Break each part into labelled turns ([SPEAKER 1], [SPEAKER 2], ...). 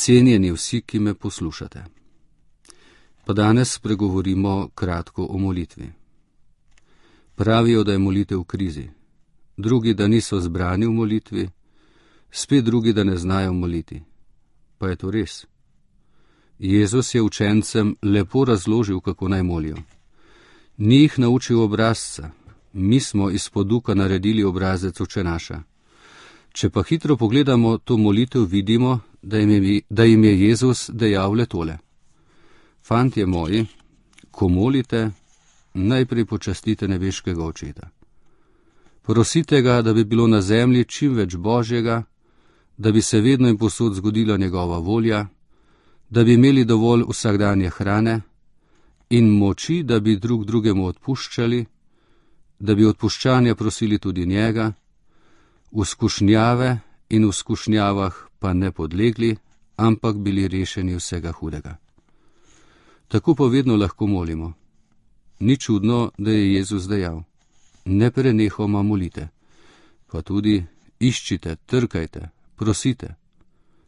[SPEAKER 1] Cenjeni vsi, ki me poslušate. Pa danes spregovorimo kratko o molitvi. Pravijo, da je molitev v krizi, drugi, da niso zbrani v molitvi, spet drugi, da ne znajo moliti. Pa je to res? Jezus je učencem lepo razložil, kako naj molijo. Ni jih naučil obrazca, mi smo iz poduka naredili obrazec Oče naša. Če pa hitro pogledamo to molitev, vidimo, da jim je Jezus dejal le tole. Fantje moji, ko molite, najprej počastite nebeškega Očeta. Prosite ga, da bi bilo na zemlji čim več Božjega, da bi se vedno in povsod zgodila njegova volja, da bi imeli dovolj vsakdanje hrane in moči, da bi drug drugemu odpuščali, da bi odpuščanja prosili tudi njega, v skušnjave in v skušnjavah pa ne podlegli, ampak bili rešeni vsega hudega. Tako pa vedno lahko molimo. Ni čudno, da je Jezus dejal: ne prenehoma molite, pa tudi iščite, trkajte, prosite.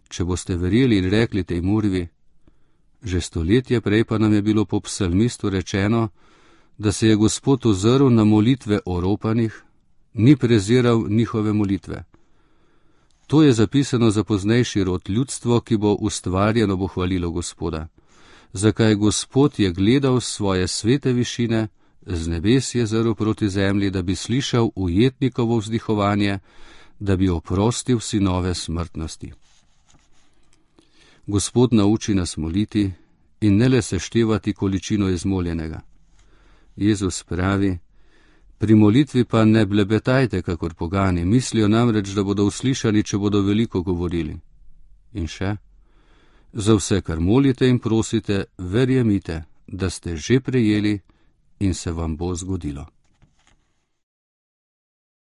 [SPEAKER 1] Če boste verjeli in rekli tej murvi, že stoletje prej pa nam je bilo po psalmistu rečeno, da se je Gospod ozrl na molitve oropanih, ni preziral njihove molitve. To je zapisano za poznejši rod ljudstvo, ki bo ustvarjeno bo hvalilo Gospoda. Zakaj Gospod je gledal svoje svete višine, z nebes je zrl proti zemlji, da bi slišal ujetnikovo vzdihovanje, da bi oprostil sinove smrtnosti. Gospod nauči nas moliti in ne le seštevati količino izmoljenega. Jezus pravi: pri molitvi pa ne blebetajte, kakor pogani, mislijo namreč, da bodo uslišani, če bodo veliko govorili. In še: za vse, kar molite in prosite, verjemite, da ste že prejeli in se vam bo zgodilo.